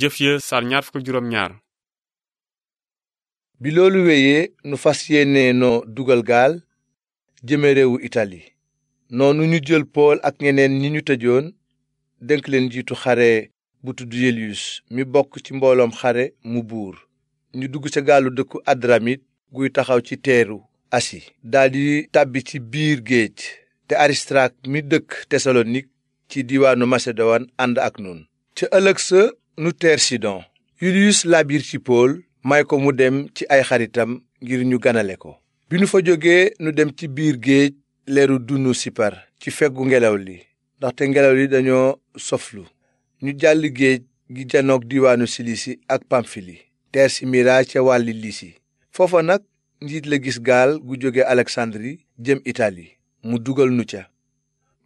jëf ya sar ñaar fukk ak juróom ñaar. bi loolu wéyee nu fas yéene noo dugal gaal jëme réewu itali noonu ñu jël pool ak ñeneen ñi ñu tëjoon dénk leen njiitu xare bu tudd yeliyus mi bokk ci mbooloom xare mu buur ñu dugg ca gaalu dëkku adramit guy taxaw ci teeru asi daldi tàbbi ci biir géej te aristark mi dëkk tesalonik ci diiwaanu masedowan ànd ak nun ca ëllëg sa nu teer sidon yuliyus laabiir ci pool may ko mu dem ci ay xaritam ngir ñu ganale ko bi nu fa jógee nu dem ci biir géej leeru dunu sipar ci feggu ngelaw li ndaxte ngelaw li dañoo soflu ñu jàll géej gi janoog diiwaanu silisi ak pamfili teer si mira ca wàlli lisi foofa nag njiit la gis gaal gu jóge aleksandri jëm itali mu dugal nu ca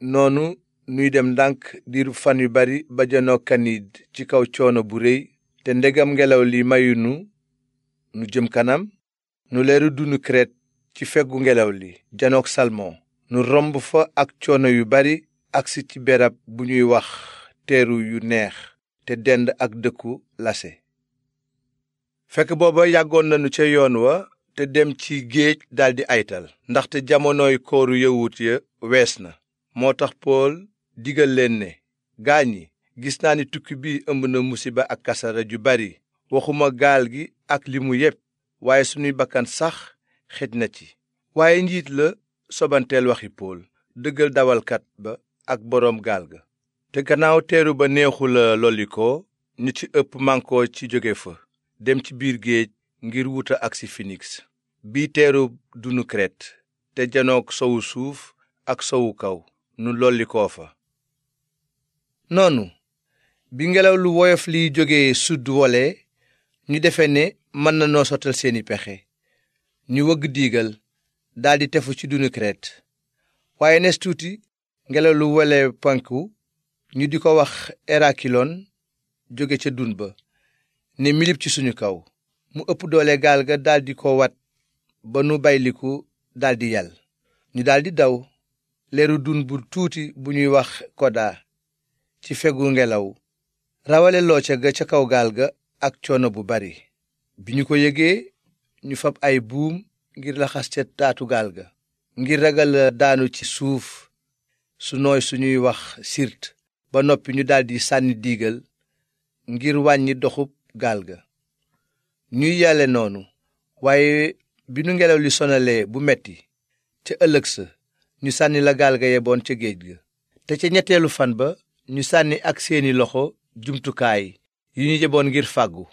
noonu nuy dem ndànk diiru fan yu bari ba janoog kaniid ci kaw coono bu réy te ndegam ngelaw li mayunu nu jëm kanam nu leeru dunu kret ci feggu ngelaw li janoog salmon nu romb fa ak coono yu bari agsi ci berab bu ñuy wax teeru yu neex te dend ak dëkku lase fekk booba yàggoon nanu ca yoon wa te dem ci géej daldi aytal ndaxte jamonoy kooru yawut ya wees na moo tax pool digal leen ne gaañ yi gis naa ni tukki bi ëmb na musiba ak kasara ju bari waxuma gaal gi ak li mu yépp waaye sunuy bakkan sax xej na ci waaye njiit la sobanteel waxi pool dëggal dawalkat ba ak boroom gaal ga te gannaaw teeru ba neexula lollikoo ñu ci ëpp mànkoo ci jóge fa dem ci biir géej ngir wuta agsi finiks bii teeru dunu kret te janoog sowu suuf ak sowu kaw nu lollikoo fa noonu bi ngelaw lu woyof liy jóge sudd wole ñu defe ne mën na noo sottal seeni pexe ñu wëgg diigal daldi tefu ci dunu kret waaye nes tuuti ngelaw lu wole penku ñu di ko wax erakilon jóge ca dun ba ne milip ci suñu kaw mu ëpp doole gaal ga daldi ko wat ba nu bayliku daldi yal ñu daldi daw leeru dun bu tuuti bu ñuy wax koda ci fegu ngelaw rawale looca ga ca kaw gaal ga ak coono bu bari bi ñu ko yëgee ñu fab ay buum ngir laxas ca taatu gaal ga ngir ragal daanu ci suuf su nooy suñuy wax sirt ba noppi ñu daldi sànni diigal ngir wàññi doxub gaal ga ñuy yàlle noonu waaye bi nu ngelaw li sonalee bu metti ca ëllëg sa ñu sànni la gaal ga yeboon ca géej ga te ca ñetteelu fan ba ñu sànni ak seeni loxo jumtukaay yu ñu yeboon ngir fàggu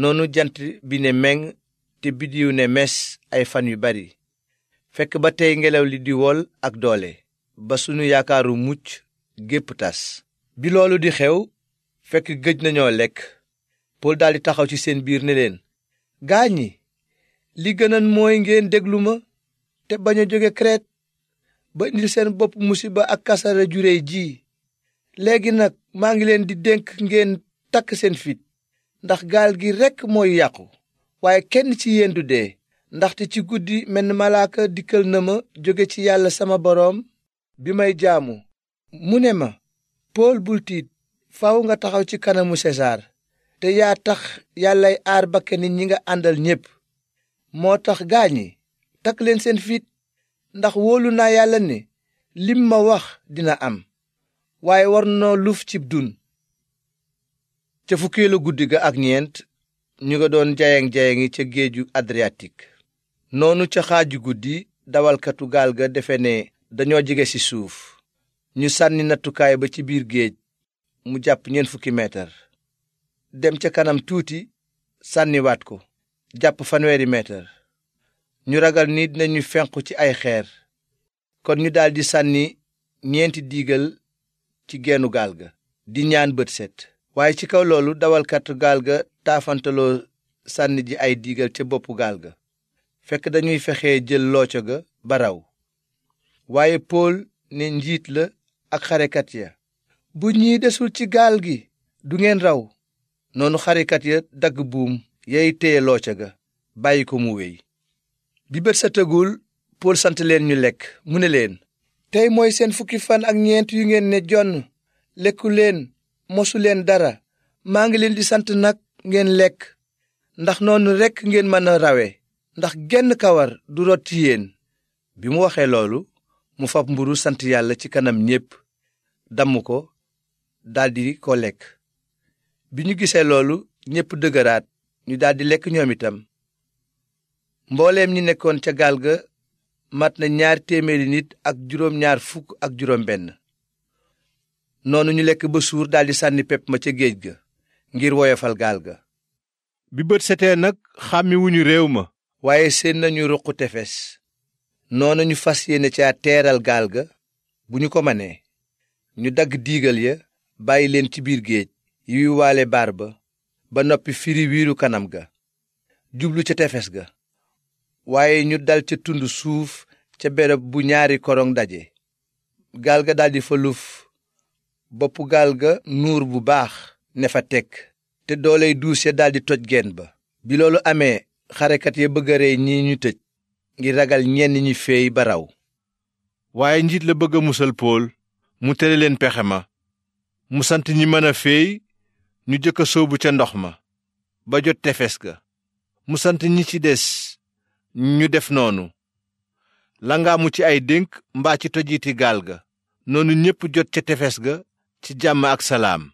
noonu jant bi ne meng te biddiw ne mes ay fan yu bari fekk ba tey ngelaw li di wol ak doole ba sunu yaakaaru mucc gépp tas bi loolu di xew fekk gëj nañoo lekk pool daldi taxaw ci seen biir ne leen gaañ ñi li gënan mooy ngeen déglu ma te bañ a jóge Kret ba indil seen bopp musiba ak kasara ju réy ji léegi nag maa ngi leen di dénk ngeen takk seen fit ndax gaal gi rekk mooy yàqu waaye kenn ci yéen du dee ndaxte ci guddi menn malaaka dikkal na ma jóge ci yàlla sama boroom bi may jaamu mu ne ma pool bul tiit faaw nga taxaw ci kanamu sesaar te yaa tax yàllay aar bakkani ñi nga àndal ñépp moo tax gaañi takk leen seen fit ndax wóolu naa yàlla ne lim ma wax dina am waaye war noo luf cib dun ca fukkeelu guddi ga ak ñeent ñu nga doon jayang-jayangi ca géeju adriatik noonu ca xaaju guddi dawalkatu gaal ga defe ne dañoo jege ci suuf ñu sànni nattukaay ba ci biir géej mu jàpp 40 meetar dem ca kanam tuuti sànniwaat ko jàpp 50 meetar ñu ragal ni dinañu fenqu ci ay xeer kon ñu daldi sànni 4 diigal ci geenu gaal ga di ñaan bët set waaye ci kaw loolu dawalkatu gaal ga taafantaloo sànni ji ay diigal ca boppu gaal ga fekk dañuy fexe jël looco ga ba raw waaye pool ne njiit la ak xarekat ya bu ñii desul ci gaal gi du ngeen raw noonu xarekat ya dagg buum yay téye looco ga bàyyi ko mu wéy bi bët setagul pool sant leen ñu lekk mu ne leen tey mooy seen 10 fan ak ñeent yu ngeen ne jonn lekku leen mosu leen dara maa ngi leen di sant nag ngeen lekk, ndax noonu rekk ngeen mën a rawe, ndax genn kawar du rot ci yéen. bi mu waxee loolu mu fab mburu sant yàlla ci kanam ñépp, damm ko daldi ko lekk. bi ñu gisee loolu ñépp dëgëraat, ñu daldi lekk ñoom itam. mbooleem ñi nekkoon ca gaal ga mat na 200 nit ak juróom-ñaar fukk ak juróom benn. noonu ñu lekk ba suur daldi sànni pepp ma ca géej ga ngir woyofal gaal ga. bi bët setee nag xàmmiwuñu réew ma, waaye seen nañu ruqu tefes. noonu ñu fas yéene ca teeral gaal ga bu ñu ko manee. ñu dagg diigal ya bàyyi leen ci biir géej yuy waale baar ba noppi firi wiiru kanam ga jublu ca tefes ga. waaye ñu dal ca tund suuf ca bereb bu ñaari korong daje. gaal ga daldi fa luf, boppu gaal ga nuur bu baax ne fa tekk, te dooley duus ya daldi toj geen ba. bi loolu amee xarekat ya bëgg a rey ñi ñu tëj, ngir ragal ñenn ñi feey ba raw. waaye njiit la bëgg a musal Pool, mu tere leen pexe ma. mu sant ñi mën a feey ñu jëkk a sóobu ca ndox ma ba jot tefes ga. mu sant ñi ci des ñu def noonu, langaamu ci ay dénk mbaa ci tojiti gaal ga. noonu ñépp jot ca tefes ga ci jàmm ak salaam.